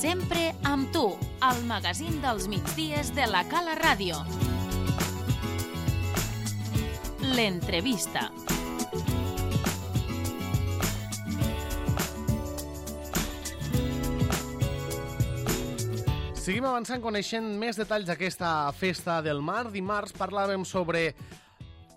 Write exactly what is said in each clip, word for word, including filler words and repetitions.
Sempre amb tu, al magazín dels migdies de la Cala Ràdio. L'entrevista. Seguim avançant coneixent més detalls d'aquesta festa del mar. Dimarts parlàvem sobre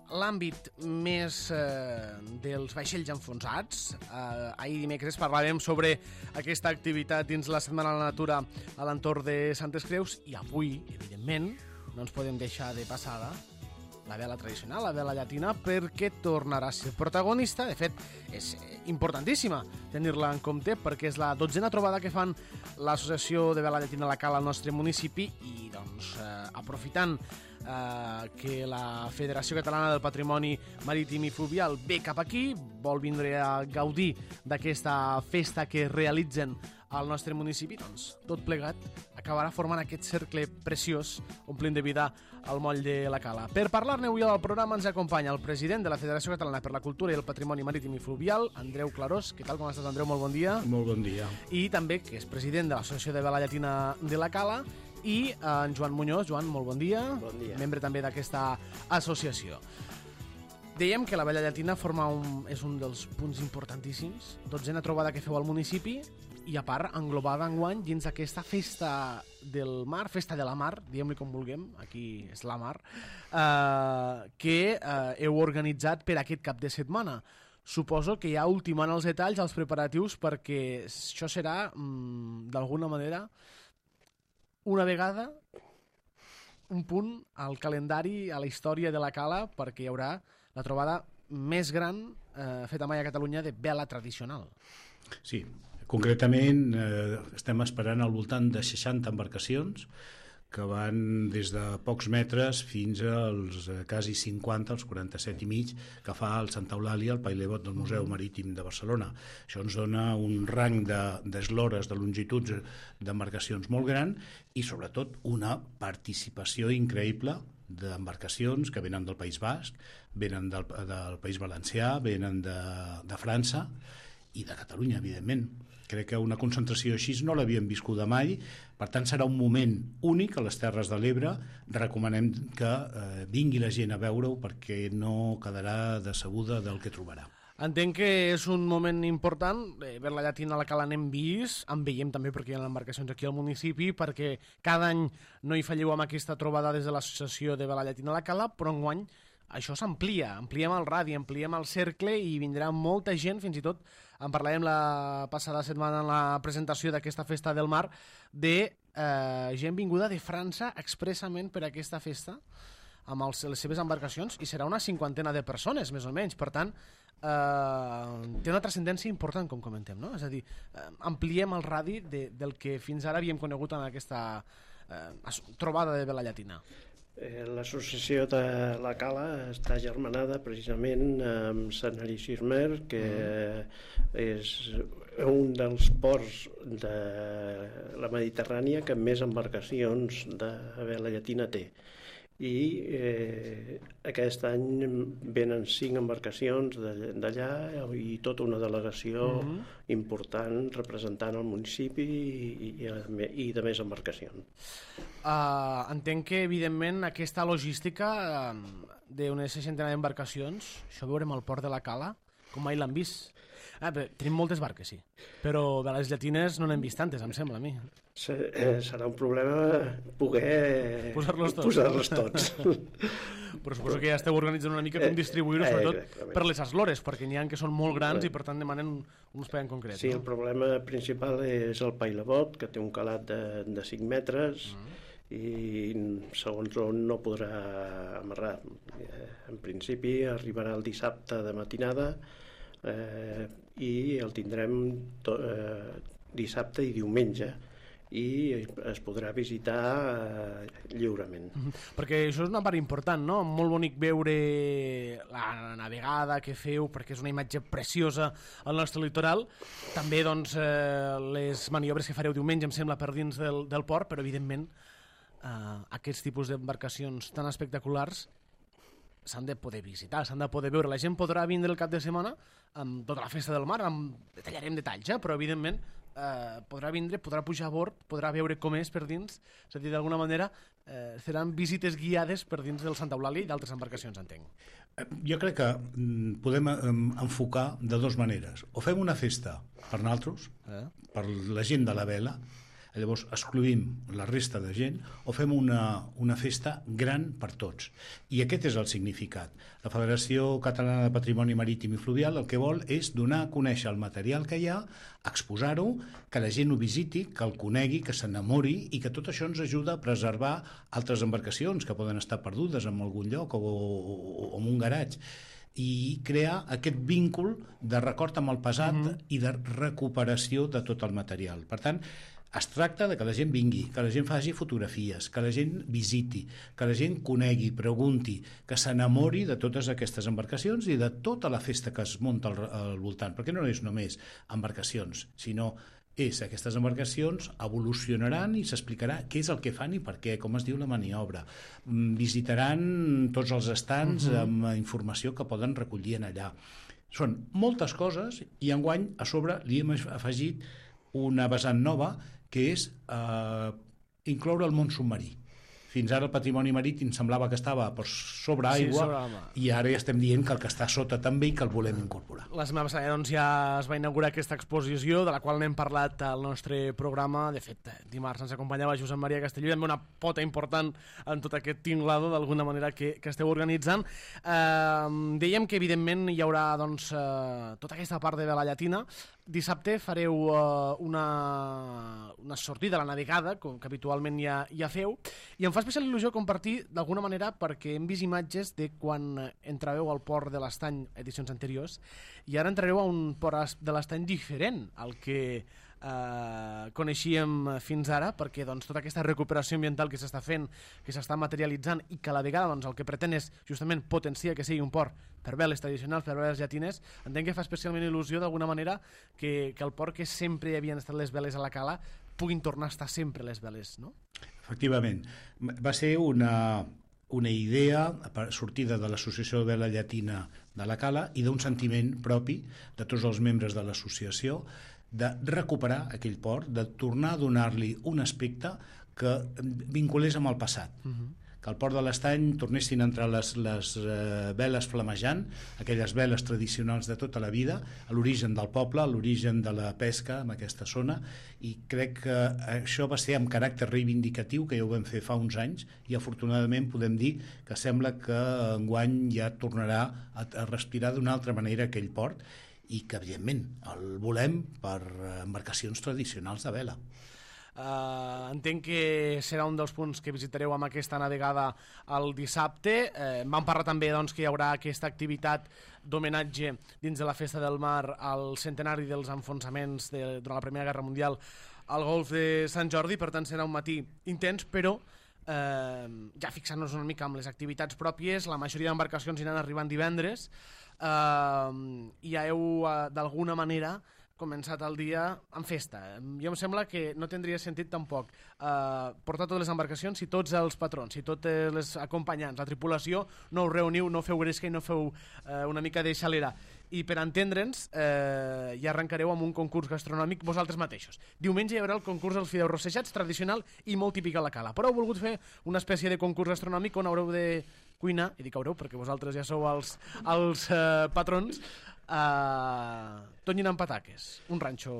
l'àmbit més eh, dels vaixells enfonsats. Eh, ahir dimecres parlàvem sobre aquesta activitat dins la Setmana de la Natura a l'entorn de Santes Creus i avui, evidentment, no ens podem deixar de passada la vela tradicional, la vela llatina, perquè tornarà a ser protagonista. De fet, és importantíssima tenir-la en compte perquè és la dotzena trobada que fan l'Associació de Vela Llatina a la Cala al nostre municipi i, doncs, eh, aprofitant eh, que la Federació Catalana del Patrimoni Marítim i Fluvial ve cap aquí, vol vindre a gaudir d'aquesta festa que realitzen al nostre municipi, doncs tot plegat acabarà formant aquest cercle preciós, omplint de vida al moll de la Cala. Per parlar-ne avui al programa ens acompanya el president de la Federació Catalana per la Cultura i el Patrimoni Marítim i Fluvial, Andreu Clarós. Què tal, com estàs, Andreu? Molt bon dia. Molt bon dia. I també que és president de l'Associació de Vela Llatina de la Cala, i en Joan Muñoz. Joan, molt bon dia. Bon dia. Membre també d'aquesta associació. Dèiem que la vela llatina forma un, és un dels punts importantíssims, dotzena trobada que feu al municipi i a part englobada enguany dins aquesta festa del mar, festa de la mar, diguem-li com vulguem, aquí és la mar, eh, que eh, heu organitzat per aquest cap de setmana. Suposo que ja ultimant els detalls, els preparatius, perquè això serà, mm, d'alguna manera, una vegada un punt al calendari, a la història de la Cala, perquè hi haurà la trobada més gran eh, feta mai a Catalunya de vela tradicional. Sí, concretament eh, estem esperant al voltant de seixanta embarcacions que van des de pocs metres fins als eh, quasi cinquanta, els quaranta-set i mig, que fa el Santa Eulàlia, el Pailebot del Museu Marítim de Barcelona. Això ens dona un rang d'eslores, de, de longituds d'embarcacions molt gran i, sobretot, una participació increïble d'embarcacions que venen del País Basc, venen del, del País Valencià, venen de, de França i de Catalunya, evidentment. Crec que una concentració així no l'havíem viscuda mai, per tant serà un moment únic a les Terres de l'Ebre. Recomanem que eh, vingui la gent a veure-ho perquè no quedarà decebuda del que trobarà. Entenc que és un moment important, eh, Vela Llatina a la Cala n'hem vist, en veiem també perquè hi ha embarcacions aquí al municipi, perquè cada any no hi falleu amb aquesta trobada des de l'Associació de Vela Llatina a la Cala, però enguany això s'amplia, ampliem el radi, ampliem el cercle i vindrà molta gent, fins i tot en parlàvem la passada setmana en la presentació d'aquesta festa del mar, de eh, gent vinguda de França expressament per a aquesta festa, amb els, les seves embarcacions, i serà una cinquantena de persones, més o menys. Per tant, eh, té una transcendència important, com comentem, no? És a dir, eh, ampliem el radi de, del que fins ara havíem conegut en aquesta eh, trobada de Vela Llatina. L'associació de la Cala està germanada precisament amb Sant Erisirmer, que és un dels ports de la Mediterrània que més embarcacions de vela llatina té. I eh, aquest any venen cinc embarcacions d'allà i tota una delegació uh-huh. important representant el municipi i, i, i de més embarcacions. Uh, entenc que, evidentment, aquesta logística uh, d'unes seixantena d'embarcacions, això ho veurem al port de la Cala, com mai l'han vist. Ah, bé, tenim moltes barques, sí, però de les llatines no n'hem vist tantes, em sembla a mi. Serà un problema poder posar-los tots. Posar-los tots. Però suposo que ja esteu organitzant una mica com distribuir-ho, sobretot per les eslores, perquè n'hi ha que són molt grans i per tant demanen un espai en concret. Sí, no? El problema principal és el Pailebot, que té un calat de, de cinc metres, uh-huh. i segons on no podrà amarrar. En principi arribarà el dissabte de matinada eh, i el tindrem to, eh, dissabte i diumenge, i es podrà visitar eh, lliurement. Perquè això és una part important, no? Molt bonic veure la navegada que feu, perquè és una imatge preciosa al nostre litoral. També, doncs, eh, les maniobres que fareu diumenge, em sembla, per dins del, del port, però, evidentment, eh, aquests tipus d'embarcacions tan espectaculars s'han de poder visitar, s'han de poder veure. La gent podrà vindre el cap de setmana amb tota la festa del mar, amb... detallarem detalls, eh? Però, evidentment, eh, podrà vindre, podrà pujar a bord, podrà veure com és per dins, és a dir, d'alguna manera eh, seran visites guiades per dins del Santa Eulàlia i d'altres embarcacions, entenc. Jo crec que podem enfocar de dues maneres. O fem una festa per nosaltres, eh? per la gent de la vela, llavors excluïm la resta de gent, o fem una, una festa gran per tots. I aquest és el significat. La Federació Catalana de Patrimoni Marítim i Fluvial el que vol és donar a conèixer el material que hi ha, exposar-ho, que la gent ho visiti, que el conegui, que s'enamori, i que tot això ens ajuda a preservar altres embarcacions que poden estar perdudes en algun lloc o, o, o en un garatge, i crear aquest víncul de record amb el passat mm-hmm. i de recuperació de tot el material. Per tant, es tracta de que la gent vingui, que la gent faci fotografies, que la gent visiti, que la gent conegui, pregunti, que s'enamori de totes aquestes embarcacions i de tota la festa que es munta al, al voltant, perquè no és només embarcacions, sinó és aquestes embarcacions evolucionaran i s'explicarà què és el que fan i per què, com es diu la maniobra. Visitaran tots els estants uh-huh. amb informació que poden recollir en allà. Són moltes coses i enguany a sobre li hem afegit una vessant nova que és eh, incloure el món submarí. Fins ara el patrimoni marítim semblava que estava per sobre aigua, sí, sobre i ara ja estem dient que el que està sota també i que el volem incorporar. La setmana passada doncs, ja es va inaugurar aquesta exposició, de la qual n'hem parlat al nostre programa. De fet, dimarts ens acompanyava Josep Maria Castelló, i també una pota important en tot aquest tinglado, d'alguna manera, que, que esteu organitzant. Eh, dèiem que, evidentment, hi haurà doncs, eh, tota aquesta part de vela llatina. Dissabte fareu uh, una, una sortida a la navegada, com que habitualment ja, ja feu, i em fa especial il·lusió compartir d'alguna manera perquè hem vist imatges de quan entràveu al port de l'Estany edicions anteriors i ara entrareu a un port de l'Estany diferent al que eh, coneixíem fins ara, perquè doncs, tota aquesta recuperació ambiental que s'està fent, que s'està materialitzant i que a la vegada doncs, el que pretén és justament potenciar que sigui un port per veles tradicionals, per veles llatines, entenc que fa especialment il·lusió d'alguna manera que, que el port que sempre hi havien estat les veles a la cala puguin tornar a estar sempre les veles, no? Efectivament. Va ser una, una idea sortida de l'Associació de Vela Llatina de la Cala i d'un sentiment propi de tots els membres de l'associació de recuperar aquell port, de tornar a donar-li un aspecte que vinculés amb el passat. Uh-huh. Que al port de l'Estany tornessin a entrar les, les uh, veles flamejant, aquelles veles tradicionals de tota la vida, a l'origen del poble, a l'origen de la pesca en aquesta zona, i crec que això va ser amb caràcter reivindicatiu, que ja ho vam fer fa uns anys, i afortunadament podem dir que sembla que enguany ja tornarà a, a respirar d'una altra manera aquell port, i que evidentment el volem per embarcacions tradicionals de vela. Uh, entenc que serà un dels punts que visitareu amb aquesta navegada el dissabte. Uh, vam parlar també doncs, que hi haurà aquesta activitat d'homenatge dins de la Festa del Mar al centenari dels enfonsaments de, durant la Primera Guerra Mundial al golf de Sant Jordi, per tant serà un matí intens, però uh, ja fixant-nos una mica amb les activitats pròpies, la majoria d'embarcacions aniran arribant divendres uh, i ja heu uh, d'alguna manera començat el dia en festa. Jo em sembla que no tindria sentit tampoc eh, portar totes les embarcacions si tots els patrons, si tots els acompanyants, la tripulació, no us reuniu, no feu gresca i no feu eh, una mica de xalera. I per entendre'ns, eh, ja arrencareu amb un concurs gastronòmic vosaltres mateixos. Diumenge hi haurà el concurs dels fideus rossejats, tradicional i molt típic a la Cala. Però heu volgut fer una espècie de concurs gastronòmic on haureu de cuinar, i dic haureu perquè vosaltres ja sou els, els eh, patrons, Uh, tonyina amb pataques, un ranxo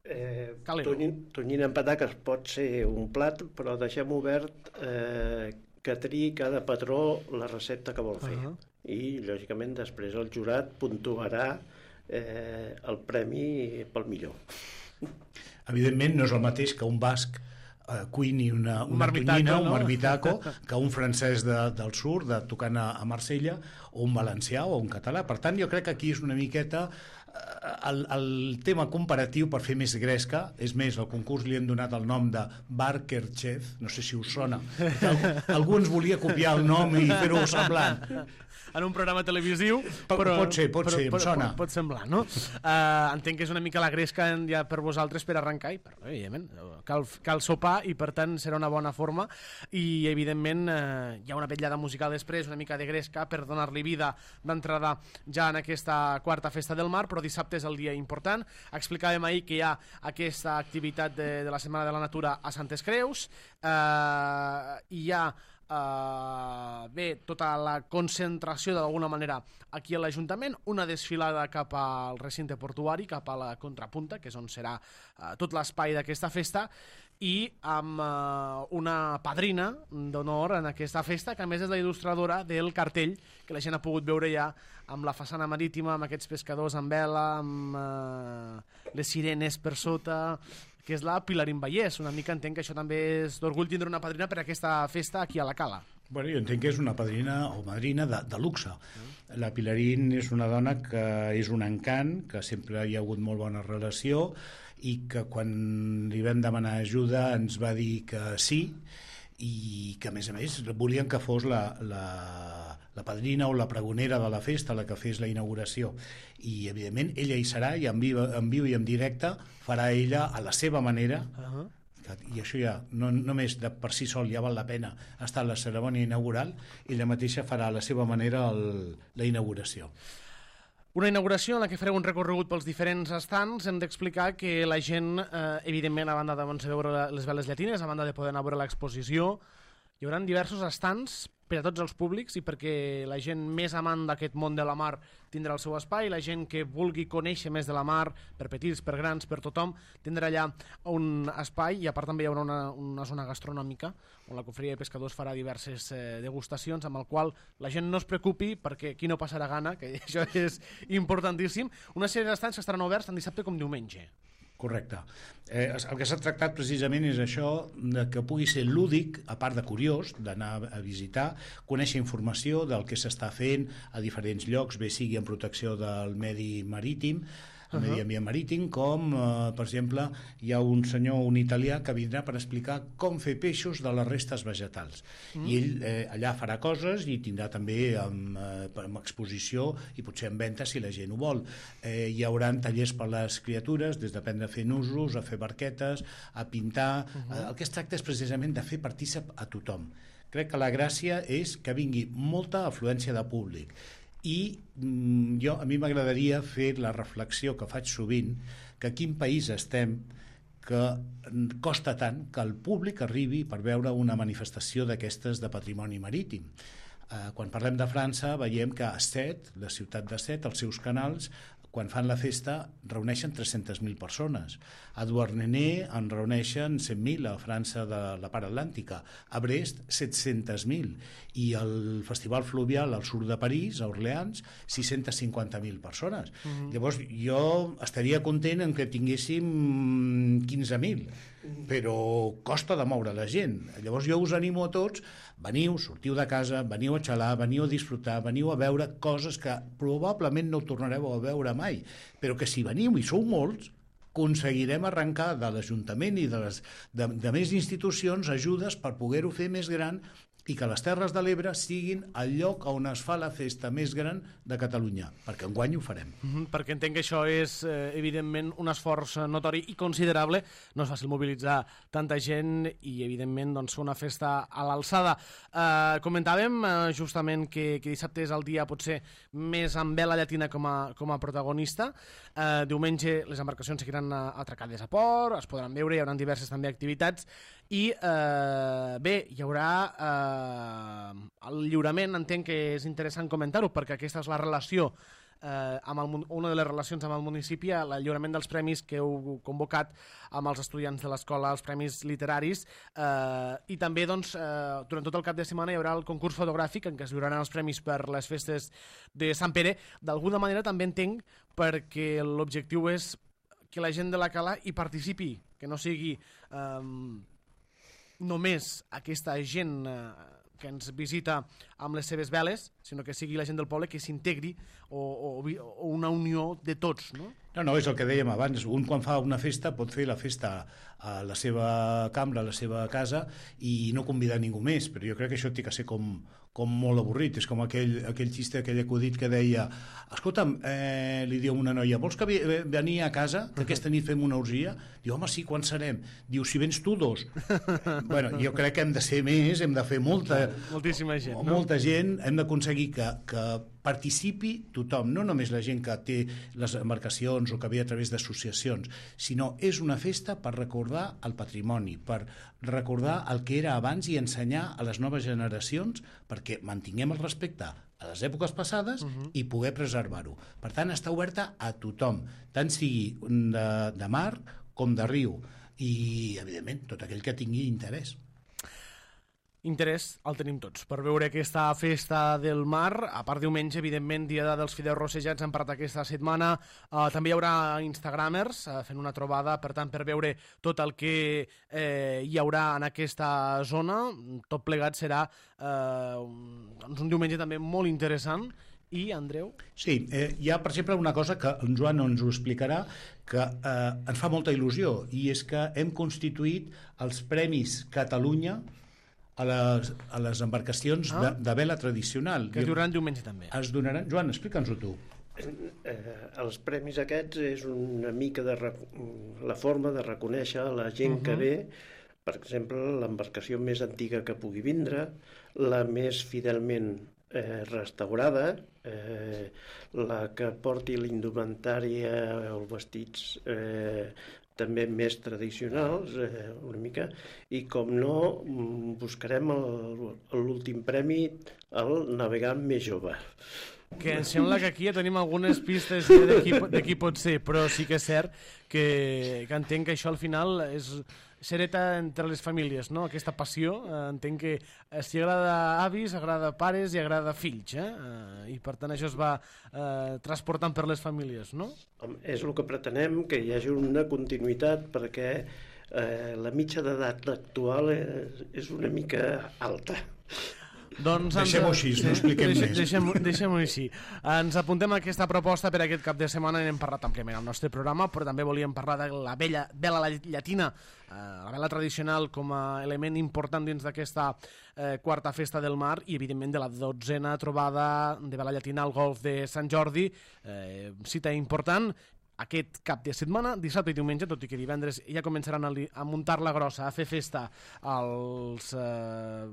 eh, calero. Tonyina amb pataques pot ser un plat, però deixem obert eh, que triï cada patró la recepta que vol fer. Uh-huh. I, lògicament, després el jurat puntuarà eh, el premi pel millor. Evidentment, no és el mateix que un basc Uh, cuini una, una un tonyina, no? un marmitaco, que un francès de, del sud, de, tocant a, a Marsella, o un valencià o un català. Per tant, jo crec que aquí és una miqueta uh, el, el tema comparatiu per fer més gresca. És més, al concurs li hem donat el nom de Barker Chef, no sé si us sona. Algú, algú ens volia copiar el nom i fer-ho semblant. En un programa televisiu, però... Pot ser, pot ser, però, em sona. Pot, pot semblar, no? Uh, entenc que és una mica la gresca ja per vosaltres per arrencar, i per, evidentment, cal, cal sopar, i per tant serà una bona forma, i evidentment uh, hi ha una vetllada musical després, una mica de gresca, per donar-li prohibida d'entrada ja en aquesta quarta festa del mar, però dissabte és el dia important. Explicàvem ahir que hi ha aquesta activitat de, de la Setmana de la Natura a Santes Creus, eh, hi ha Uh, bé, tota la concentració d'alguna manera aquí a l'Ajuntament, una desfilada cap al recinte portuari, cap a la Contrapunta, que és on serà uh, tot l'espai d'aquesta festa, i amb uh, una padrina d'honor en aquesta festa, que a més és la il·lustradora del cartell que la gent ha pogut veure ja amb la façana marítima, amb aquests pescadors amb vela, amb uh, les sirenes per sota, que és la Pilarín Vallès. Una mica entenc que això també és d'orgull tindre una padrina per a aquesta festa aquí a la Cala. Bueno, jo entenc que és una padrina o madrina de, de luxe. La Pilarín és una dona que és un encant, que sempre hi ha hagut molt bona relació i que quan li vam demanar ajuda ens va dir que sí, i que a més a més volien que fos la, la, la padrina o la pregonera de la festa la que fes la inauguració, i evidentment ella hi serà, i en viu, en viu i en directe farà ella a la seva manera. Uh-huh. I això ja, no només de per si sol ja val la pena estar a la cerimònia inaugural, ella mateixa farà a la seva manera el, la inauguració. Una inauguració en la que fareu un recorregut pels diferents estants. Hem d'explicar que la gent, eh, evidentment, a banda de veure les veles llatines, a banda de poder anar a veure l'exposició, hi haurà diversos estants per a tots els públics i perquè la gent més amant d'aquest món de la mar tindrà el seu espai, la gent que vulgui conèixer més de la mar, per petits, per grans, per tothom, tindrà allà un espai, i a part també hi haurà una, una zona gastronòmica on la Confraria de Pescadors farà diverses eh, degustacions, amb el qual la gent no es preocupi perquè aquí no passarà gana, que això és importantíssim. Una sèrie d'estants que estaran oberts tant dissabte com diumenge. Correcte. Eh, el que s'ha tractat precisament és això, de que pugui ser lúdic, a part de curiós, d'anar a visitar, conèixer informació del que s'està fent a diferents llocs, bé sigui en protecció del medi marítim, el medi ambient marítim, com, eh, per exemple, hi ha un senyor, un italià, que vindrà per explicar com fer peixos de les restes vegetals. Mm. I ell eh, allà farà coses i tindrà també amb, eh, amb exposició i potser en venda si la gent ho vol. Eh, hi haurà tallers per les criatures, des d'aprendre a fer nusos, a fer barquetes, a pintar. Uh -huh. eh, el que es tracta és precisament de fer partícip a tothom. Crec que la gràcia és que vingui molta afluència de públic. I mm, jo, a mi m'agradaria fer la reflexió que faig sovint, que a quin país estem que costa tant que el públic arribi per veure una manifestació d'aquestes de patrimoni marítim. Eh, quan parlem de França veiem que a Sète, la ciutat de Sète, els seus canals, quan fan la festa reuneixen tres-centes mil persones. A Douarnenez en reuneixen cent mil, a França de la part atlàntica. A Brest, set-centes mil. I el Festival Fluvial al sud de París, a Orleans, sis-centes cinquanta mil persones. Uh-huh. Llavors, jo estaria content en que tinguéssim quinze mil, però costa de moure la gent. Llavors jo us animo a tots, veniu, sortiu de casa, veniu a xalar, veniu a disfrutar, veniu a veure coses que probablement no tornareu a veure mai, però que si veniu i sou molts, aconseguirem arrencar de l'Ajuntament i de, les, de, de més institucions ajudes per poder-ho fer més gran i que les Terres de l'Ebre siguin el lloc on es fa la festa més gran de Catalunya, perquè enguany ho farem. Mm-hmm, perquè entenc que això és, eh, evidentment, un esforç notori i considerable. No és fàcil mobilitzar tanta gent i, evidentment, doncs, fer una festa a l'alçada. Eh, comentàvem eh, justament que, que dissabte és el dia, potser, més amb vela llatina com a, com a protagonista. Eh, diumenge les embarcacions seguiran atracades a port, es podran veure, hi haurà diverses també activitats, i eh, bé, hi haurà eh, el lliurament. Entenc que és interessant comentar-ho perquè aquesta és la relació eh, amb el, una de les relacions amb el municipi, el lliurament dels premis que heu convocat amb els estudiants de l'escola, els premis literaris, eh, i també doncs, eh, durant tot el cap de setmana hi haurà el concurs fotogràfic en què es lliuraran els premis per les festes de Sant Pere. D'alguna manera també entenc perquè l'objectiu és que la gent de la Cala hi participi, que no sigui eh, només aquesta gent eh, que ens visita amb les seves veles, sinó que sigui la gent del poble que s'integri o, o, o una unió de tots, no? No, no, és el que dèiem abans. Un quan fa una festa pot fer la festa a la seva cambra, a la seva casa i no convidar ningú més, però jo crec que això té que ser com, com molt avorrit. És com aquell, aquell xiste, aquell acudit que deia escolta'm, eh, li diu una noia, vols que venir a casa, que aquesta nit fem una orgia? Diu, home, sí, quan serem? Diu, si vens tu dos. Bueno, jo crec que hem de ser més, hem de fer molta, moltíssima gent, no? Molta gent, hem d'aconseguir que, que participi tothom, no només la gent que té les embarcacions o que ve a través d'associacions, sinó és una festa per recordar el patrimoni, per recordar el que era abans i ensenyar a les noves generacions perquè mantinguem el respecte a les èpoques passades uh-huh. i poder preservar-ho. Per tant, està oberta a tothom, tant sigui de, de mar com de riu, i, evidentment, tot aquell que tingui interès. Interès el tenim tots per veure aquesta festa del mar. A part diumenge, evidentment, dia dels fideus rossejats, hem parlat aquesta setmana. Uh, també hi haurà instagramers uh, fent una trobada, per tant, per veure tot el que eh, hi haurà en aquesta zona. Tot plegat serà uh, un, doncs un diumenge també molt interessant. I, Andreu? Sí, eh, hi ha, per exemple, una cosa que en Joan ens ho explicarà, que eh, ens fa molta il·lusió, i és que hem constituït els Premis Catalunya a les, a les embarcacions ah. de, de vela tradicional. Que es donaran diumenge també. Es donaran... Joan, explica'ns-ho tu. Eh, els premis aquests és una mica de la forma de reconèixer la gent uh-huh. que ve, per exemple, l'embarcació més antiga que pugui vindre, la més fidelment eh, restaurada, eh, la que porti l'indumentària o els vestits eh, també més tradicionals, eh, una mica, i com no, buscarem l'últim premi, el navegant més jove. Que em sembla que aquí ja tenim algunes pistes de qui, de qui pot ser, però sí que és cert que, que entenc que això al final és s'hereta entre les famílies, no? Aquesta passió, eh, entenc que eh, si agrada avis, agrada pares i agrada fills, eh? Eh, i per tant això es va eh, transportant per les famílies, no? És el que pretenem, que hi hagi una continuïtat, perquè eh, la mitja d'edat actual és, és una mica alta. Doncs deixem-ho així, no expliquem deixem, més. Deixem-ho deixem així. Ens apuntem a aquesta proposta per aquest cap de setmana. N'hem parlat àmpliament al nostre programa, però també volíem parlar de la vella, vela llatina, eh, la vela tradicional com a element important dins d'aquesta eh, quarta festa del mar, i evidentment de la dotzena trobada de vela llatina al golf de Sant Jordi, eh, cita important aquest cap de setmana, dissabte i diumenge, tot i que divendres ja començaran a, a muntar la grossa, a fer festa als eh,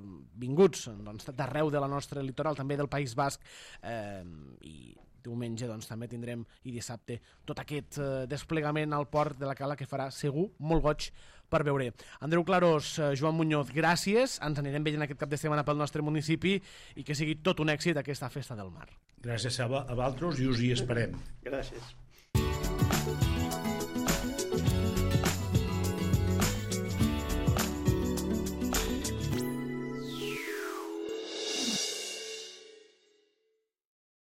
vinguts doncs, d'arreu de la nostra litoral, també del País Basc, eh, i diumenge doncs, també tindrem, i dissabte, tot aquest eh, desplegament al port de la Cala que farà segur molt goig per veure. Andreu Clarós, eh, Joan Muñoz, gràcies, ens anirem veient aquest cap de setmana pel nostre municipi i que sigui tot un èxit aquesta festa del mar. Gràcies a, a vosaltres i us hi esperem. Gràcies.